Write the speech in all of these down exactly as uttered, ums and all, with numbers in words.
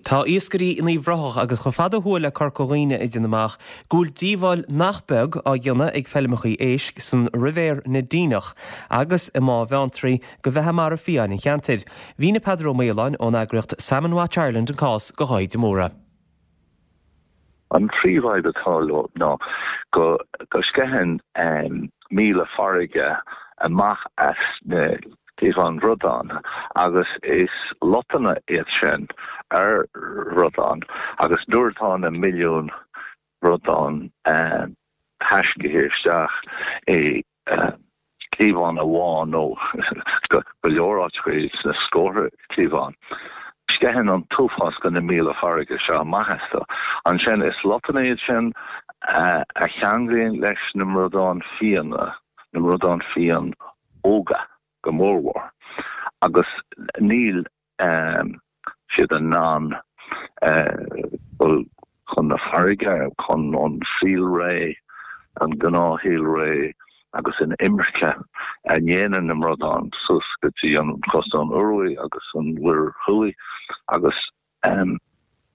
Tá iascairí in Uíbh Ráthach agus chomh fada ó thuaidh le Corca Dhuibhne ag déanamh amach go bhfuil díobháil nach beag á dhéanamh ag feilmeacha éisc san Ribhéar na Díneach agus i mBá Bheanntraí do bheatha mara fiáin an cheantair. Mhínigh Peadar Ó Maoláin ón eagraíocht Salmon Watch Ireland an cás do Dháithí de Mórdha. An príomhfhadhb atá leo ná go go sceitheann um, míola farraige amach as na cliabháin bhradán agus is lottanna iad sin ar bhradán agus nuair atá na milliún bradán um, taiscithe isteach i uh, cliabhán amháin nó go leor áiteacha sna scórtha cliabhán. Sceitheann an t-uafás de na míola farraige seo amach astu. Ansin is lottanna iad sin uh, a cheanglaíonn leis na mbradáin fiáine, na mbradáin fiáin óga go mórmhór. Agus níl um, siad in ann uh, chun na farraige chun an saolré an gnáthshaolré agus an imirce a ndéanann na mbradáin suas go dtí an cósta an Ioruaidh agus an Mhuir Thuaidh agus um,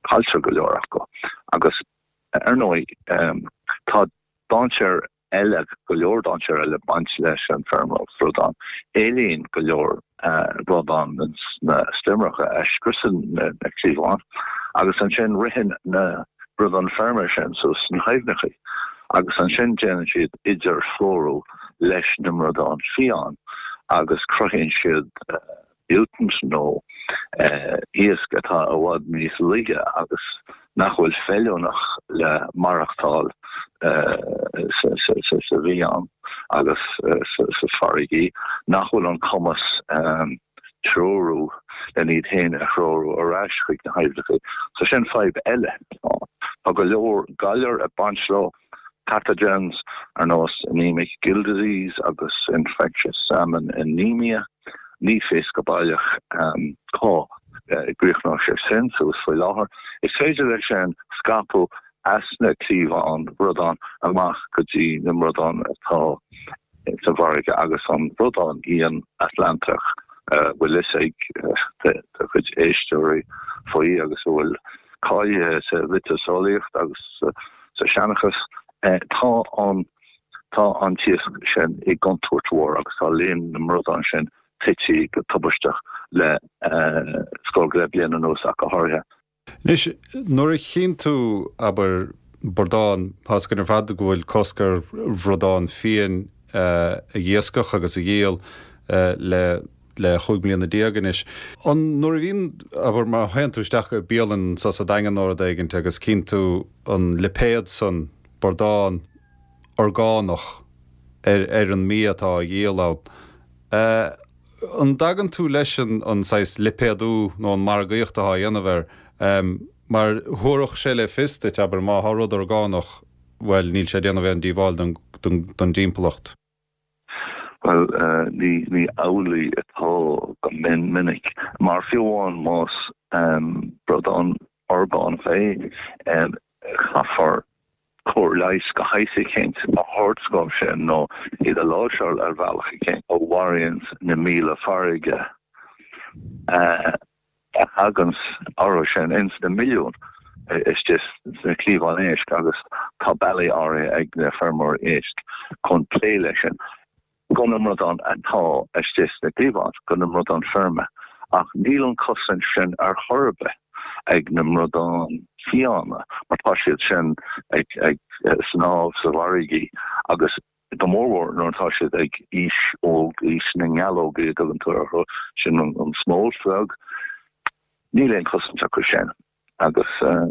cailltear go leor acu agus ar ndóigh um, tá dainséar eile go leor dainséar eile baint leis an feirmeoireacht bradán. Éalaíonn go leor bradán na stoirmeacha a scriosann na, na cliabháin agus ansin ritheann na bradáin feirme sin suas sna haibhneacha agus ansin déanann siad idirphlódú leis na mbradáin fiáin agus cruthaíonn siad uh, mutant nó uh, iasc atá i bhfad níos laige agus nach bhfuil feiliúnach le maireachtáil uh, sa bhfiáin agus uh, sa farraige nach bhfuil an cumas um, treorú len iad féin a threorú ar ais chuig na haibhneacha. So sin fadhb eile Tá go leor galar ag baint leo pathogens ar nós anemic gill disease agus infectious salmon anemia ní fios go baileach um, cá uh, gcríochnóidh sé sin suas faoi láthair. Is féidir leis sin scaipeadh as na cliabháin bradán amach go dtí na mbradáin atá sa bhfarraige agus an bradán fhiáin Atlantach bhfuil fhios ag do chuid éisteoirí faoi agus bhfuil cáilithe sa mhiotaseolaíocht agus sa seanchas tá an tá an t-iasc sin i gcontúirt mhór agus tá líon na mbradán sin tite go tubaisteach le scór go leith bliain anuas ach go háirithe. Anois nuair a chíonn tú abair bradán tá a fhios againn ar fad go bhfuil cosc ar bhradán fiáin a iascach agus a dhíol le le chúig bliana déag anois. An nuair a bhíonn abair má théann tú isteach i bialann sa sa Daingean nó rud éigin agus cíonn tú an lipéad san bradán orgánach ar ar an mbia atá á dhíol ann. Uh, an dtagann tú leis an an saghas lipéadú nó an margaíocht atá á dhéanamh air um, mar thabharfadh sé le fios duit abair má tá rud orgánach well níl sé déanamh aon díobháil don, don, don timpeallacht. Well uh, ní ní amhlaidh atá go min minic mar fiú amháin más um, bradán orgánach é um, caithfear cóir leighis de shaghas éicint a thabhairt dóibh sin nó iad a láimhseáil ar bhealach éicint a mharaíonn na míola farraige uh, a thagann orthu sin ins na milliún istigh sna cliabháin éisc agus tá bealaí áirithe ag na feirmeoirí éisc chun plé leis sin do na mbradáin atá istigh sna cliabháin do na mbradáin feirme ach níl an chosaint sin ar chor ar bith ag na mbradáin fiáine mar tá siad sin ag ag snámh sa bhfarraige agus go mórmhór nuair atá siad ag aois óg aois na ngealóg a dtugann tú orthu sin an, an smolt bheag níl aon chosaint acu sin agus uh,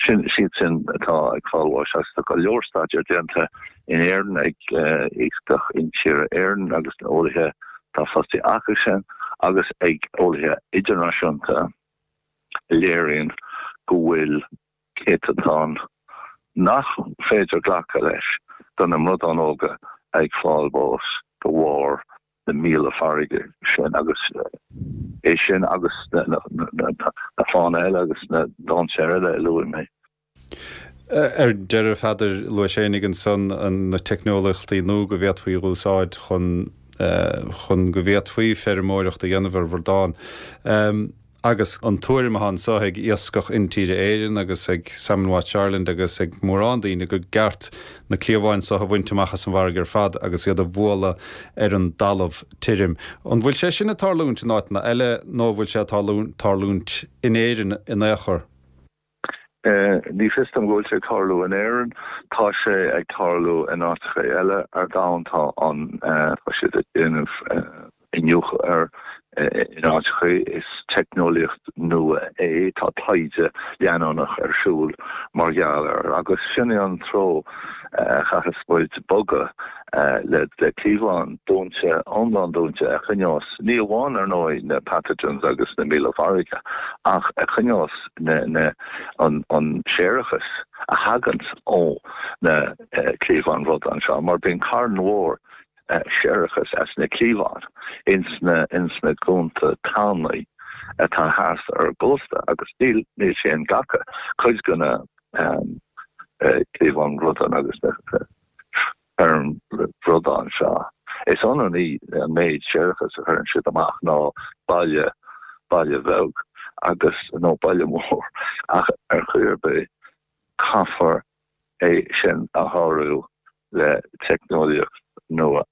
sin siad sin atá ag fáil bháis agus tá go leor staidéar déanta in Éirinn ag uh, Iascach Intíre Éireann agus na eolaithe tá fostaithe acu sin agus ag eolaithe idirnáisiúnta a léiríonn go bhfuil céatadán nach féidir glacadh leis do na mbradáin óga ag fáil bás de bharr na míola farraige sin agus é sin agus na, na, na, na, na fáthanna eile agus na dainséir eile a luaigh mé. Ar deireadh a Pheadair luaigh sé ansan na teicneolaíochtaí nua go bhféadfaí a úsáid chun chun go bhféadfaí feirmeoireacht a dhéanamh ar bhradán. Um, Agus an tuairim atá anseo ag Iascach Intíre Éireann agus ag Salmon Watch Ireland agus ag mórán daoine gur ceart na cliabháin seo a bhaint amach as an bhfarraige ar fad agus iad a bhualadh ar an dtalamh tirim. An bhfuil sé sin ag tarlúint in áiteanna eile nó bhfuil sé ag tarlúint in Éirinn in aon chor? Ní fios dom go bhfuil sé ag tarlú in Éirinn, tá sé ag tarlú in áiteacha eile ar domhan, tá an tá siad ag déanamh iniúchadh air in áiteacha. Is teicneolaíocht nua é, tá taighde leanúnach ar siúl mar gheall air agus sin é an treo a chaithfeas muid bogadh le le cliabhán dúnta, iomlán dúnta a choinneos ní amháin ar ndóigh na pathogens agus na míola farraige ach a choinneos na na an an séarachas a thaganns ó na cliabháin bhradán seo mar bíonn carn mhór séarachas as na cliabháin ins na ins na cuanta tanaí atá thart ar an gcósta agus níl níl sé inghlactha cuid de na cliabháin bhradán agus na feirm bhradán seo. Is ionann í an méid séarachas a chuireann siad amach ná baile baile bheag agus nó baile mór ach ar chaoi ar bith caithfear é sin a shárú le teicneolaíocht nua.